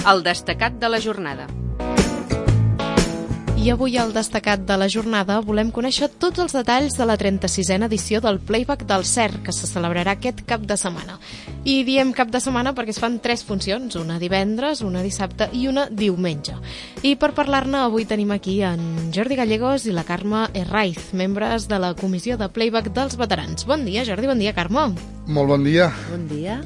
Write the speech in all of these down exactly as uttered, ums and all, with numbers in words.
el destacat de la jornada. I avui al destacat de la jornada volem conèixer tots els detalls de la trenta-sisena edició del Playback del C E R, que se celebrarà aquest cap de setmana. I diem cap de setmana perquè es fan tres funcions, una divendres, una dissabte i una diumenge. I per parlar-ne avui tenim aquí en Jordi Gallegos i la Carme Herraiz, membres de la Comissió de Playback dels Veterans. Bon dia, Jordi, bon dia, Carme. Molt bon dia. Bon dia.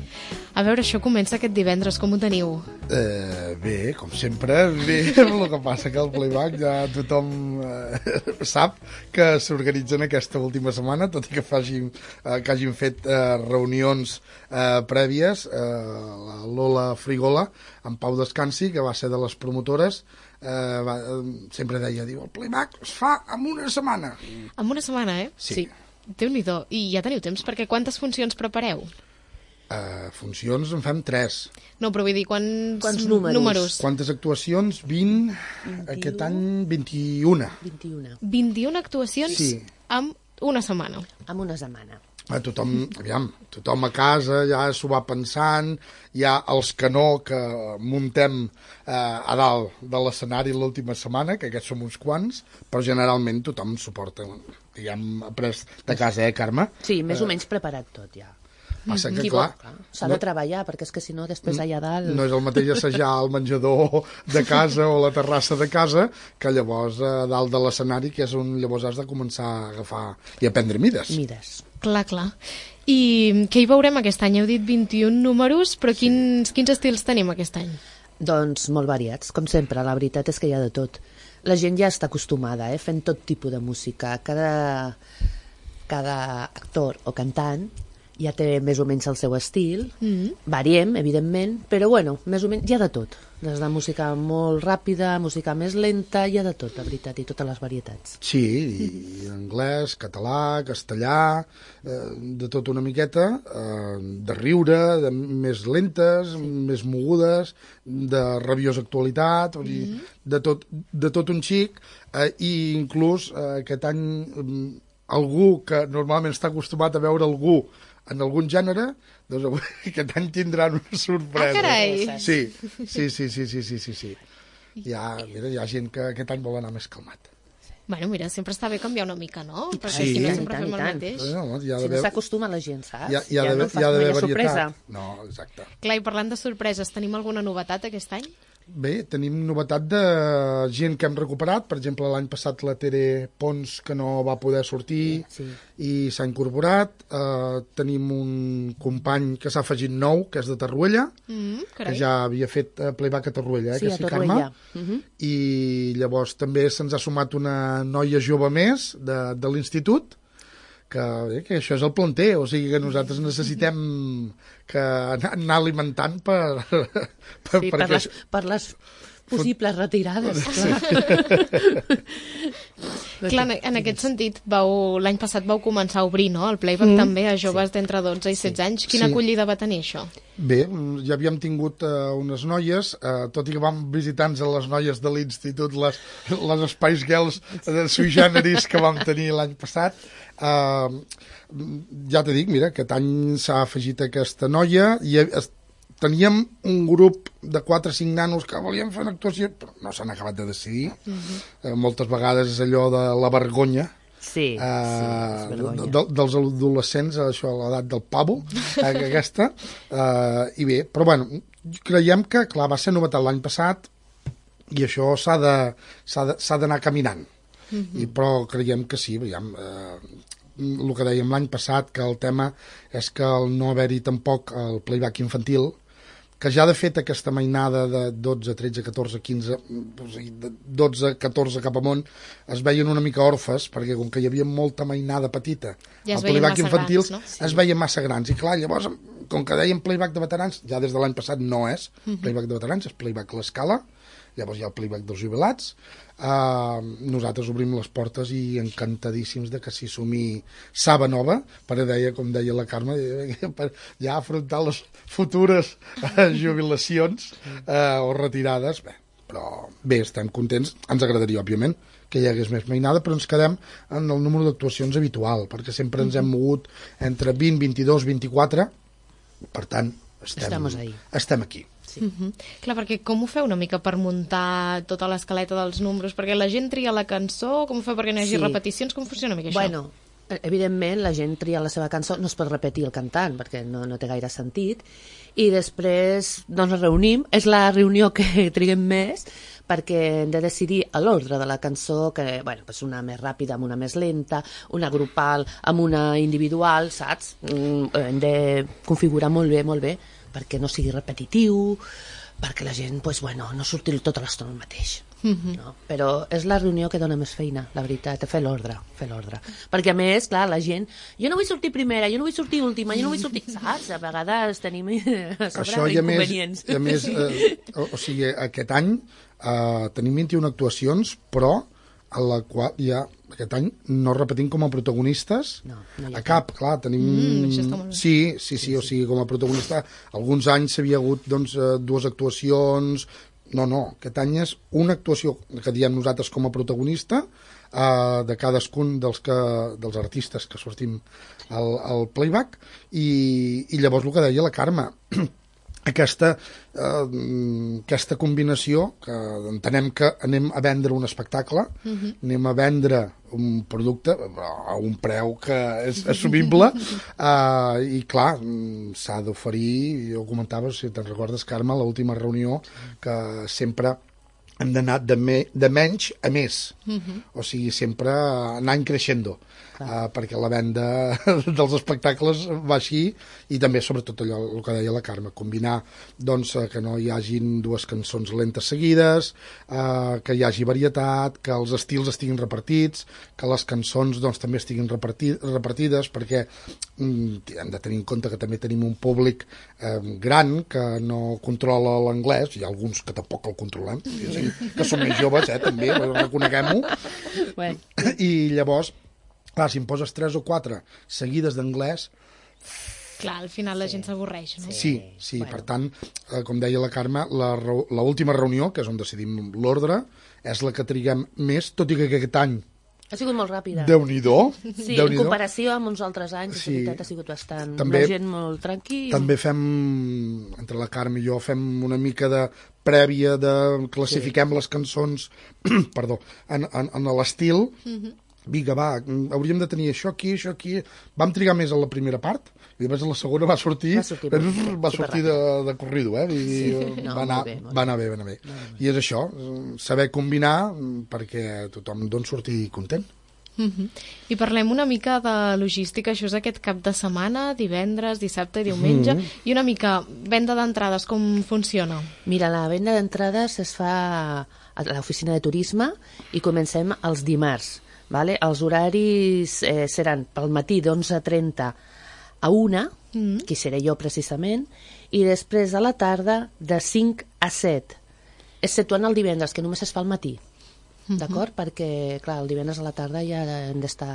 A veure, això comença aquest divendres, com ho teniu? Eh, bé, com sempre, bé, el que passa que el Playback ja tothom eh, sap que s'organitzen aquesta última setmana, tot i que, facin, eh, que hagin fet eh, reunions eh, prèvies. Eh, la Lola Frigola, en Pau Descansi, que va ser de les promotores, eh, va, eh, sempre deia, diu, el Playback es fa en una setmana. En una setmana, eh? Sí. Déu-n'hi-do. I ja teniu temps, perquè quantes funcions prepareu? Uh, funcions en fem tres. No, però vull dir, quants, Quants números? números? Quantes actuacions? vint, vint-i-u. aquest any vint-i-una. vint-i-una. vint-i-una actuacions Sí. en una setmana. En una setmana. A tothom, aviam, tothom a casa ja s'ho va pensant, hi ha els que no, que muntem eh, a dalt de l'escenari l'última setmana, que aquests som uns quants, però generalment tothom suporta. Ja hem après de casa, eh, Carme? Sí, més o menys preparat tot, ja. Passa que, Qui clar, vol, s'ha de treballar, perquè és que si no, després allà dalt... no és el mateix assajar al menjador de casa o la terrassa de casa que llavors a dalt de l'escenari, que és on llavors has de començar a agafar i a prendre mides. Mides. Clar, clar. I què hi veurem aquest any? Heu dit vint-i-un números, però quins, quins estils tenim aquest any? Doncs molt variats, com sempre, la veritat és que hi ha de tot. La gent ja està acostumada, eh, fent tot tipus de música. Cada, cada actor o cantant ja té més o menys el seu estil, mm-hmm. Variem, evidentment, però bueno, més o menys hi ha de tot. Des de música molt ràpida, música més lenta, hi ha de tot, la veritat, i totes les varietats. Sí, i anglès, català, castellà, eh, de tot una miqueta, eh, de riure, de més lentes, més mogudes, de rabiosa actualitat, vull dir, mm-hmm. de, tot, de tot un xic, eh, i inclús eh, aquest any eh, algú que normalment està acostumat a veure algú en algun gènere, doncs avui, aquest any tindran una sorpresa. Ah, carai! Sí, sí, sí, sí, sí, sí, sí, sí. Hi ha, mira, hi ha gent que aquest any vol anar més calmat. Bueno, mira, sempre està bé canviar una mica, no? I Perquè sí. si no I sempre tant, fem i el tant. mateix. No, hi ha Si no d'haver... s'acostuma la gent, saps? Hi ha, hi ha ja d'haver no fas hi ha mai d'haver sorpresa. varietat. No, exacte. Clar, i parlant de sorpreses, tenim alguna novetat aquest any? Bé, tenim novetat de gent que hem recuperat. Per exemple, l'any passat la Tere Pons, que no va poder sortir, Sí. i s'ha incorporat. Uh, tenim un company que s'ha afegit nou, que és de Torroella, Mm, que carai. ja havia fet uh, playback a Torroella, eh, Sí, que a sí, Torroella. Carme? Mhm. I llavors també se'ns ha sumat una noia jove més de, de l'institut, que, bé, que això és el planter, o sigui que nosaltres necessitem que anar, anar alimentant per, per, Sí, per les, per les possibles retirades. Clar, en- en aquest sentit, vau l'any passat vau començar a obrir, no?, el playback mm. també a joves sí. d'entre dotze i setze anys. Quina Sí. acollida va tenir això? Bé, ja havíem tingut uh, unes noies, uh, tot i que vam visitar-nos a les noies de l'institut, les, les Spice Girls de sui generis que vam tenir l'any passat. Uh, ja t'he dit, mira, aquest any s'ha afegit aquesta noia i es, teníem un grup de quatre o cinc nanos que volien fer una actuació, però no s'han acabat de decidir. Uh-huh. Uh, moltes vegades és allò de la vergonya. Sí, Uh, sí, és vergonya. de, dels adolescents, això a l'edat del pavo, eh, aquesta, uh, i bé, però bueno, creiem que, clar, va ser novetat l'any passat i això s'ha de, s'ha de, s'ha d'anar caminant, mm-hmm. I, però creiem que sí, veiem, uh, el que dèiem l'any passat, que el tema és que el no haver-hi tampoc el playback infantil, que ja de fet aquesta mainada de dotze, tretze, catorze, quinze, o sigui, de dotze, catorze cap amunt, es veien una mica orfes, perquè com que hi havia molta mainada petita, Ja es el veien playback massa infantil grans, no? Sí. es veien massa grans. I clar, llavors, com que dèiem playback de veterans, ja des de l'any passat no és Mhm. playback de veterans, és playback a l'escala, llavors hi ha el playback dels jubilats. Uh, nosaltres obrim les portes i encantadíssims de que s'hi sumi Saba Nova, per deia, com deia la Carme, per ja afrontar les futures uh, jubilacions uh, o retirades. Bé, però bé, estem contents. Ens agradaria, òbviament, que hi hagués més mainada, però ens quedem en el número d'actuacions habitual, perquè sempre ens hem mogut entre vint, vint-i-dos, vint-i-quatre, per tant, estem, Estamos ahí. estem aquí. Sí. Uh-huh. Clar, perquè com ho feu una mica per muntar tota l'escaleta dels números? Perquè la gent tria la cançó, com ho feu perquè no hi hagi Sí. repeticions? Com funciona una mica això? Bueno, evidentment la gent tria la seva cançó, no es pot repetir el cantant perquè no, no té gaire sentit, i després doncs ens reunim, és la reunió que triguem més perquè hem de decidir a l'ordre de la cançó, que bueno, pues una més ràpida amb una més lenta, una grupal amb una individual, saps? Mm, hem de configurar molt bé, molt bé, perquè no sigui repetitiu, perquè la gent pues, bueno, no surti tota l'estona el mateix. Uh-huh. No? Però és la reunió que dona més feina, la veritat, fer l'ordre, fer l'ordre. Perquè a més, clar, la gent, jo no vull sortir primera, jo no vull sortir última, jo no vull sortir... Saps? A vegades tenim a sobre Això i a més, inconvenients. i a més eh, o, o sigui, aquest any eh, tenim vint-i-una actuacions, però a la qual ja aquest any no repetim com a protagonistes No, no hi ha a cap, clar, tenim... Mm, això està molt bé. sí, sí, sí, o sigui, com a protagonista alguns anys s'havia hagut doncs, eh, dues actuacions. No, no, aquest any és una actuació que diem nosaltres com a protagonista eh, de cadascun dels, que, dels artistes que sortim al, al playback i, i llavors el que deia la Carme, aquesta, eh, aquesta combinació que entenem que anem a vendre un espectacle, uh-huh. anem a vendre un producte a un preu que és assumible eh, i clar, s'ha d'oferir, jo comentava, si te'n recordes Carme, l'última reunió que sempre hem d'anar de, me, de menys a més, uh-huh. o sigui, sempre anant creixendo, uh, perquè la venda dels espectacles va així, i també sobretot allò el que deia la Carme, combinar doncs, que no hi hagin dues cançons lentes seguides, uh, que hi hagi varietat, que els estils estiguin repartits, que les cançons doncs, també estiguin reparti repartides, perquè mm, hem de tenir en compte que també tenim un públic eh, gran que no controla l'anglès, hi ha alguns que tampoc el controlem, que som més joves, eh, també, reconeguem-ho. Bueno. I llavors, clar, si em poses tres o quatre seguides d'anglès... Clar, al final la gent s'avorreix, no? Sí, sí, Bueno. per tant, eh, com deia la Carme, la, reu- la última reunió, que és on decidim l'ordre, és la que triguem més, tot i que aquest any, Ha sigut molt ràpida. Déu-n'hi-do, Sí, Déu en comparació amb uns altres anys, Sí. la veritat ha sigut bastant... També- la gent molt tranquil. també fem, entre la Carme i jo, fem una mica de prèvia de classifiquem sí. les cançons perdó, en, en, en l'estil. Mm-hmm. Vinga, va, hauríem de tenir això aquí, això aquí. Vam trigar més a la primera part, i després a la segona va sortir, Va sortir molt- va sortir de, de corrido, eh? I Sí. No, va, anar, molt bé, molt va anar bé, va anar bé. I és això, saber combinar perquè tothom doncs, surti content. Uh-huh. I parlem una mica de logística, això és aquest cap de setmana, divendres, dissabte i diumenge, mm. i una mica venda d'entrades, com funciona? Mira, la venda d'entrades es fa a l'oficina de turisme i comencem els dimarts. Vale? Els horaris eh, seran pel matí d'onze trenta a una, mm. que seré jo precisament, i després a la tarda de cinc a set, exceptuant el divendres, que només es fa al matí. Mm-hmm. D'acord? Perquè, clar, el divendres a la tarda ja hem d'estar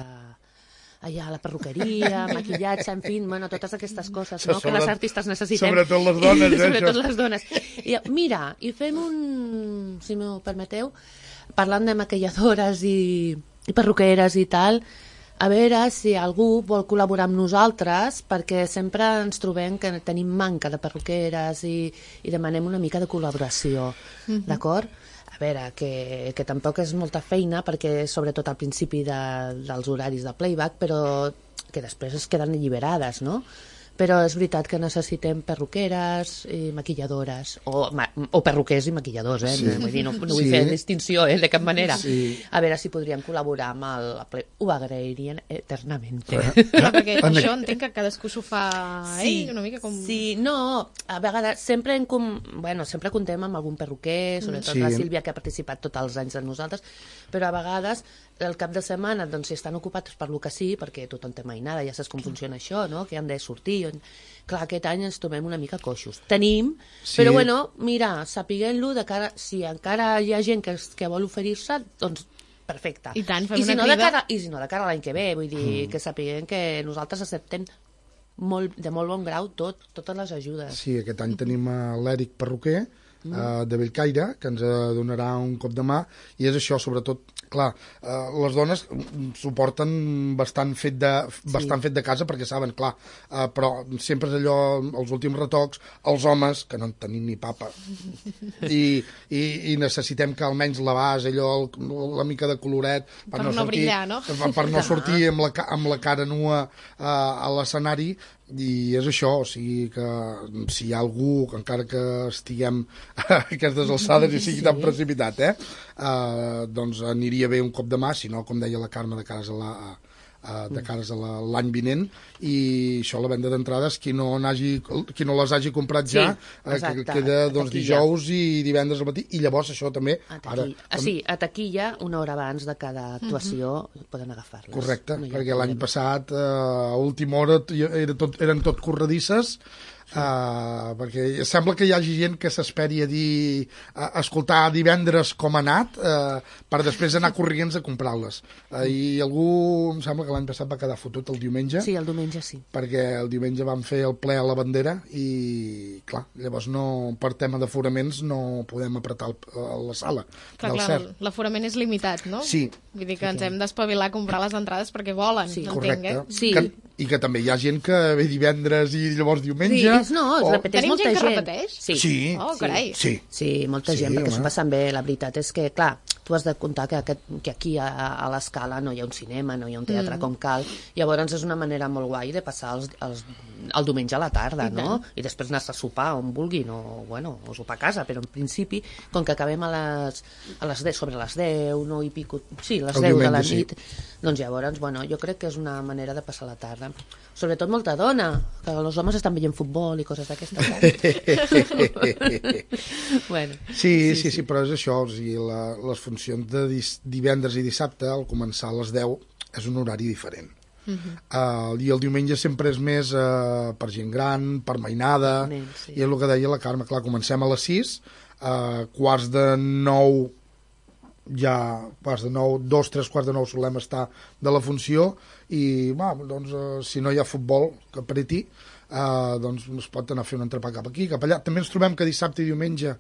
allà a la perruqueria, maquillatge, en fi, bueno, totes aquestes coses, no?, Sobre- que les artistes necessitem. sobretot les dones, eh, Sobretot això. les dones. I, mira, i fem un, si m'ho permeteu, parlant de maquilladores i, i perruqueres i tal, a veure si algú vol col·laborar amb nosaltres, perquè sempre ens trobem que tenim manca de perruqueres i, i demanem una mica de col·laboració, mm-hmm. d'acord? A veure, que, que tampoc és molta feina, perquè sobretot al principi de, dels horaris de playback, però que després es queden alliberades, no? Però és veritat que necessitem perruqueres i maquilladores, o, ma, o perruquers i maquilladors, eh? Sí. Vull dir, no, no vull Sí. fer distinció, eh? De cap manera. Sí. A veure si podríem col·laborar amb el... Play... Ho agrairien eternament. Clar, perquè això entenc que cadascú s'ho fa Sí, ell, una mica com... sí, no, a vegades sempre, en com, bueno, sempre contem amb algun perruquer, sobretot Sí. la Sílvia, que ha participat tots els anys amb nosaltres, però a vegades el cap de setmana, doncs, si estan ocupats per lo que sí, perquè tothom té mainada, ja saps com funciona això, no?, que han de sortir. Clar, aquest any ens trobem una mica coixos. Tenim, Sí. però bueno, mira, sapiguem-lo de cara, si encara hi ha gent que, que vol oferir-se, doncs perfecte. I tant, fem I si una no, de crida. cara, I si no, de cara a l'any que ve, vull dir, mm. que sapiguem que nosaltres acceptem molt, de molt bon grau tot, totes les ajudes. Sí, aquest any tenim a l'Èric Perruquer, mm. uh, de Bellcaire, que ens uh, donarà un cop de mà, i és això, sobretot, clar, eh, les dones suporten bastant fet de, bastant Sí. fet de casa perquè saben, clar, eh, però sempre és allò, els últims retocs, els homes, que no en tenim ni papa, i, i, i necessitem que almenys la base, allò, el, la mica de coloret, Per no brillar, no? Per, per no sortir amb la, ca- amb la cara nua eh, a l'escenari, i és això, o sigui que si hi ha algú, que encara que estiguem a aquestes alçades i sigui tan precipitat, eh, eh, doncs aniria bé un cop de mà, si no, com deia la Carme, de cares a la, a, de cares a la- l'any vinent, i això, la venda d'entrades, qui no n'hagi, qui no les hagi comprat Sí, ja, eh, que exacte, queda a doncs, taquilla. dijous i divendres al matí, i llavors això també, A ara, taquilla. Ah, sí, a taquilla, una hora abans de cada actuació poden agafar-les. correcte, No hi ha perquè l'any problema. passat, eh, a última hora, era tot, eren tot corredisses, Uh, perquè sembla que hi hagi gent que s'esperi a dir a escoltar divendres com ha anat uh, per després anar corrients a comprar-les, uh, i algú em sembla que l'any passat va quedar fotut el diumenge, Sí, el diumenge sí. perquè el diumenge vam fer el ple a la bandera i clar, llavors no, per tema d'aforaments no podem apretar el, la sala Clar, del clar, cert. l'aforament és limitat, no? Sí. Vull dir que ens hem d'espavilar a comprar les entrades perquè volen, Sí, entenc, Correcte. eh? Sí. Que, i que també hi ha gent que ve divendres i llavors diumenge. Sí, és, no, es o- repeteix Tenim molta gent gent. que repeteix? Sí. Sí. Oh, carai. Sí. Sí, molta Sí, gent, perquè home. s'ho passen bé. La veritat és que, clar, tu has de comptar que, aquest, que aquí a, a l'Escala no hi ha un cinema, no hi ha un teatre mm. com cal, llavors és una manera molt guai de passar els, els, el diumenge a la tarda, I no? tant. I després anar a sopar on vulguin, o, bueno, o sopar a casa, però en principi, com que acabem a les, a les deu, sobre les deu, no i pico, sí, les El deu de la diumenge, sí. nit, doncs llavors, bueno, jo crec que és una manera de passar la tarda. Sobretot molta dona, que els homes estan veient futbol i coses d'aquestes. bueno, Sí, sí, sí, sí, però és això, o sigui, la, les funcions de dis, divendres i dissabte, al començar a les deu, és un horari diferent. Uh -huh. uh, I el diumenge sempre és més uh, per gent gran, per mainada, Nen, sí. i és el que deia la Carme, clar, comencem a les sis, uh, quarts de nou, ja, quarts de nou, dos, tres quarts de nou solem estar de la funció, i, va, doncs, uh, si no hi ha futbol que apreti, uh, doncs es pot anar a fer un entrepà cap aquí, cap allà. També ens trobem que dissabte i diumenge,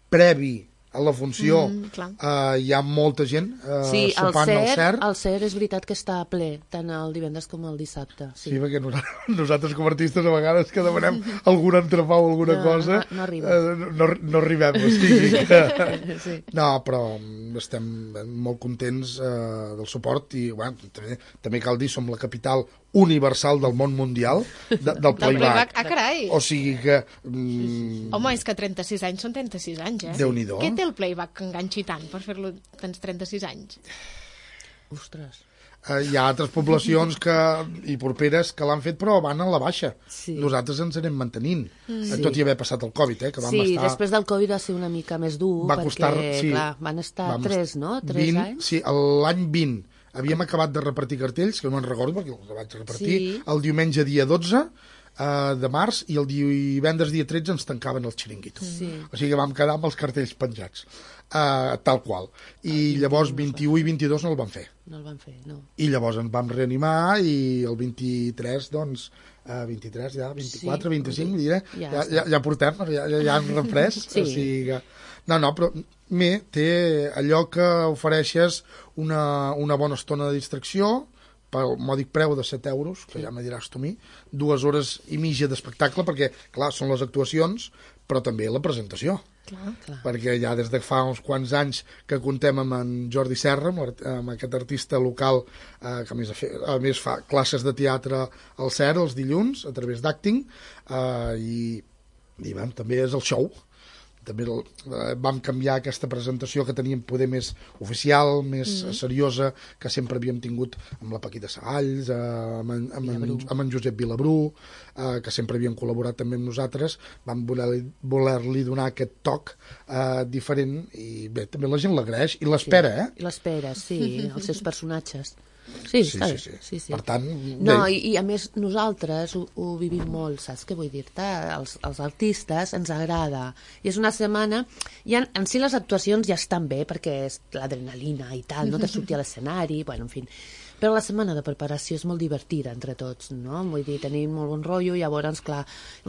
previ a la funció, Mm, clar. uh, hi ha molta gent uh, sí, el sopant al CER, cert. el CER és veritat que està ple, tant el divendres com el dissabte. Sí, Sí. perquè nosaltres, nosaltres com a artistes a vegades que demanem algun entrepà o alguna No, cosa no- no arriba. eh, no, no arribem, o sigui que... Sí. No, però estem molt contents eh, del suport i bueno, també, també cal dir, som la capital universal del món mundial de, del Del playback. playback. Ah, carai! O sigui que... Mm, Home, és que trenta-sis anys són trenta-sis anys, eh? Déu-n'hi-do. Què té el playback que enganxi tant per fer-lo tants trenta-sis anys? Ostres. eh, hi ha altres poblacions que, i properes que l'han fet però van a la baixa. Sí. Nosaltres ens anem mantenint, Mm. sí. tot i haver passat el Covid, eh, que vam Sí, estar... després del Covid va ser una mica més dur, va perquè, costar, sí, clar, van estar vam tres, no? Tres vint, anys? Sí, l'any vint havíem acabat de repartir cartells, que no en recordo perquè els vaig repartir, Sí. el diumenge dia dotze eh, de març, i el divendres dia tretze ens tancaven el xiringuito. Sí. O sigui que vam quedar amb els cartells penjats, eh, tal qual. I llavors vint-i-u i vint-i-dos no el vam fer. No el van fer, no. I llavors ens vam reanimar i el vint-i-tres, doncs, eh, vint-i-tres, ja, vint-i-quatre, Sí. vint-i-cinc, diré, Ja ja, està. ja, ja portem, ja, ja, ja hem reprès. Sí. O sigui que... No, no, però bé, té allò que ofereixes una, una bona estona de distracció pel mòdic preu de set euros, que ja me diràs tu a mi, dues hores i mitja d'espectacle, perquè, clar, són les actuacions, però també la presentació. Clar. Clar. Perquè ja des de fa uns quants anys que contem amb en Jordi Serra, amb, l'art- amb aquest artista local eh, que a més, a, fer, a més fa classes de teatre al C E R els dilluns a través d'acting, eh, i, i vam, també és el show. També el, eh, vam canviar aquesta presentació que teníem poder més oficial, més mm. seriosa, que sempre havíem tingut amb la Paquita Sagalls, eh, amb, en, amb, en, amb en Josep Vilabrú, eh, que sempre havien col·laborat també amb nosaltres. Vam voler-li voler donar aquest toc eh, diferent, i bé, també la gent l'agraeix i l'espera, eh? I l'espera, sí, els seus personatges. Sí, Sí, està sí, bé. sí. sí, sí. Per tant, No, bé. i, i a més nosaltres ho, ho vivim molt, saps què vull dir-te? Els, els artistes ens agrada. I és una setmana... I en, en si les actuacions ja estan bé, perquè és l'adrenalina i tal, no? De sortir a l'escenari, bueno, en fi. Però la setmana de preparació és molt divertida entre tots, no? Vull dir, tenim molt bon rotllo, llavors, clar,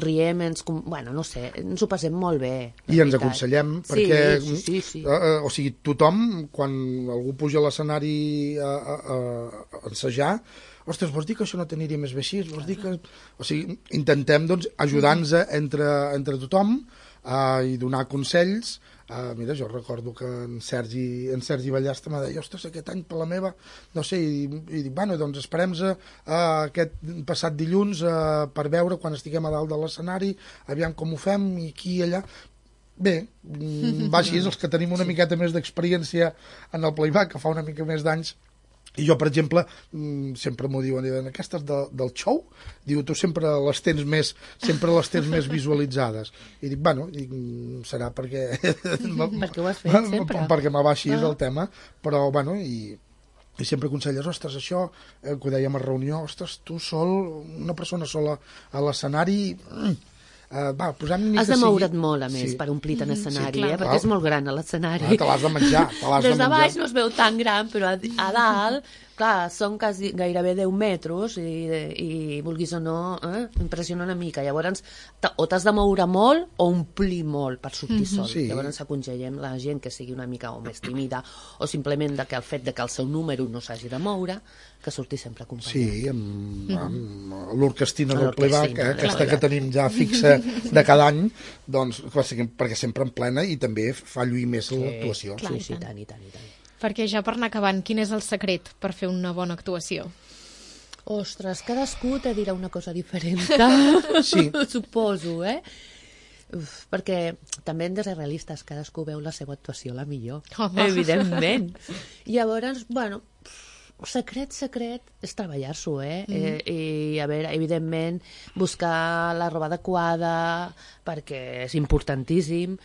riem, ens, bueno, no sé, ens ho passem molt bé. I ens aconsellem, perquè, sí, sí, sí. Eh, o sigui, tothom, quan algú puja a l'escenari a, a, a, a ensejar, ostres, vols dir que això no t'aniria més bé així? Vols dir que... O sigui, intentem, doncs, ajudar-nos entre, entre tothom uh, i donar consells. Uh, mira, jo recordo que en Sergi, en Sergi Ballasta m'ha dit, ostres, aquest any per la meva, no sé, i, i dic, bueno, doncs esperem-nos uh, aquest passat dilluns uh, per veure quan estiguem a dalt de l'escenari, aviam com ho fem, i aquí i allà. Bé, va així, els que tenim una miqueta més d'experiència en el playback, que fa una mica més d'anys. I jo, per exemple, sempre m'ho diuen, diuen, aquestes de, del show, diu, tu sempre les tens més, sempre les tens més visualitzades. I dic, bueno, dic, serà perquè... perquè ho has fet sempre. Perquè me va així ah. el tema, però, bueno, i, i sempre aconselles, ostres, això, eh, que ho dèiem a reunió, ostres, tu sol, una persona sola a l'escenari... Uh, va, has de moure't sigui... molt, a més, sí. per omplir tant escenari, sí, clar, eh? Perquè és molt gran a l'escenari. Ah, te l'has de menjar, te l'has de menjar. Des de baix no es veu tan gran, però a, a dalt, clar, són quasi, gairebé deu metres i, i vulguis o no, eh? Impressiona una mica. Llavors, o t'has de moure molt o omplir molt per sortir sol. Sí. Llavors aconsellem la gent que sigui una mica o més tímida o simplement de que el fet de que el seu número no s'hagi de moure, que surti sempre acompanyat. Sí, amb, amb l'orquestina del playback, eh, aquesta que tenim ja fixa de cada any, doncs, perquè sempre en plena i també fa lluir més sí, l'actuació. Sí, sí, tant, i tant, i tant. Perquè ja per anar acabant, quin és el secret per fer una bona actuació? Ostres, cadascú te dirà una cosa diferent. Sí. Suposo, eh? Uf, perquè també hem de ser realistes, cadascú veu la seva actuació la millor. Home. Evidentment. Llavors, bueno, secret, secret, és treballar-s'ho, eh? Mm. eh? I, a veure, evidentment, buscar la roba adequada, perquè és importantíssim,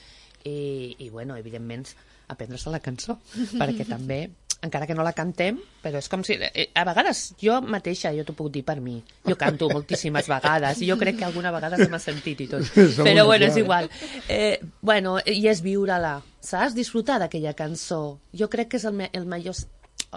i, i bueno, evidentment, aprendre-se la cançó, perquè també, encara que no la cantem, però és com si... A vegades, jo mateixa, jo t'ho puc dir per mi, jo canto moltíssimes vegades, i jo crec que alguna vegada se m'ha sentit i tot, però bueno, és igual. Eh, bueno, i és viure-la, saps? Disfrutar d'aquella cançó. Jo crec que és el, me el major...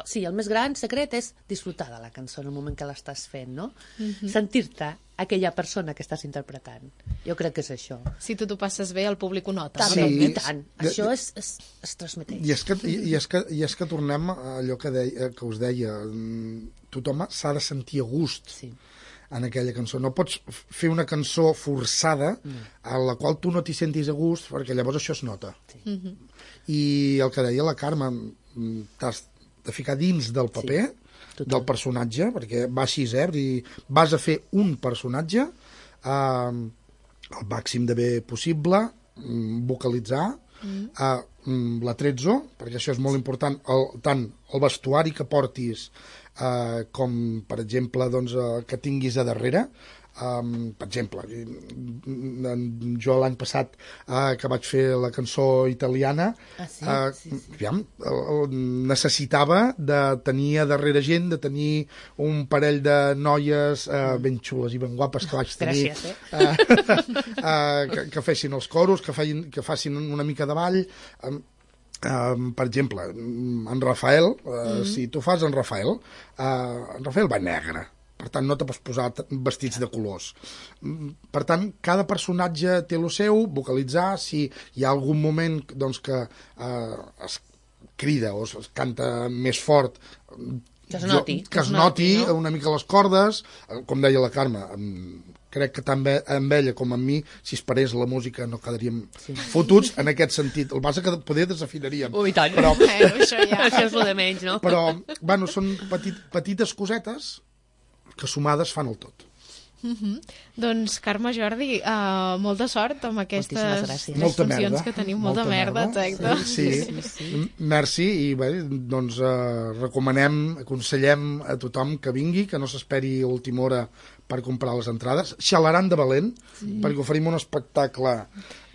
Sí, el més gran secret és disfrutar de la cançó en el moment que l'estàs fent, no? Mm-hmm. Sentir-te aquella persona que estàs interpretant. Jo crec que és això. Si tu t'ho passes bé, el públic ho nota. Sí. I tant. I, això és, és, es transmeteix. I és, que, i, i, és que, I és que tornem a allò que, deia, que us deia. Tothom s'ha de sentir a gust sí. en aquella cançó. No pots fer una cançó forçada mm. a la qual tu no t'hi sentis a gust, perquè llavors això es nota. Sí. Mm-hmm. I el que deia la Carme, t'has de ficar dins del paper, sí, del personatge, perquè va així, eh? I vas a fer un personatge eh, el màxim de bé possible, vocalitzar, mm. eh, l'atrezzo, perquè això és molt important, el, tant el vestuari que portis eh, com, per exemple, doncs, eh, que tinguis a darrere. Um, per exemple, jo l'any passat uh, que vaig fer la cançó italiana ah, sí? Uh, sí, sí. Aviam, uh, necessitava de tenir a darrere gent, de tenir un parell de noies uh, ben xules i ben guapes que vaig tenir. Gràcies, eh? uh, uh, que, que fessin els coros, que, feien, que facin una mica de ball. um, Uh, per exemple, en Rafael, uh, mm-hmm. si tu fas en Rafael, uh, en Rafael va negre. Per tant, no te pots posar vestits de colors. Per tant, cada personatge té el seu, vocalitzar, si hi ha algun moment doncs, que eh, es crida o es canta més fort, que es noti, jo, que es noti no? una mica les cordes, com deia la Carme, crec que tant amb ella com amb mi, si es parés la música no quedaríem sí. fotuts en aquest sentit. El que passa que poder desafinaríem. Ui, tant. Però, eh, això, ja. això és el de menys, no? Però, bueno, són petit, petites cosetes que sumades fan el tot. Mm-hmm. Doncs, Carme, Jordi, uh, molta sort amb aquestes tres funcions que tenim. Molta, molta merda, exacte. Sí, sí. sí, sí. Merci, i bé, doncs uh, recomanem, aconsellem a tothom que vingui, que no s'esperi a última hora per comprar les entrades. Xalaran de valent, sí. perquè oferim un espectacle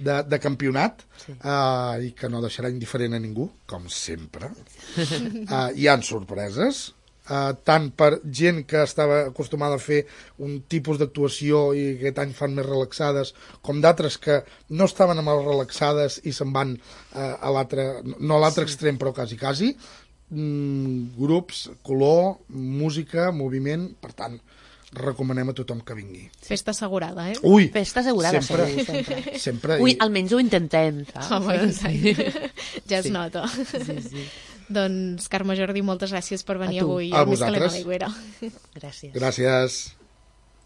de, de campionat sí. uh, i que no deixarà indiferent a ningú, com sempre. Uh, hi ha sorpreses, Uh, tant per gent que estava acostumada a fer un tipus d'actuació i aquest any fan més relaxades, com d'altres que no estaven amb les relaxades i se'n van uh, a l'altre, no a l'altre sí. extrem, però quasi, quasi. mm, grups, color, música, moviment, per tant, recomanem a tothom que vingui. Festa assegurada, eh? Ui! Festa assegurada, sempre, segur, sempre. sempre. Ui, i- almenys ho intentem, saps? Home, sí. Ja es Sí. nota. Sí, sí. Doncs, Carme Jordi, moltes gràcies per venir A tu. avui A al Més Calent a vosaltres. l'Aigüera. Gràcies. Gràcies.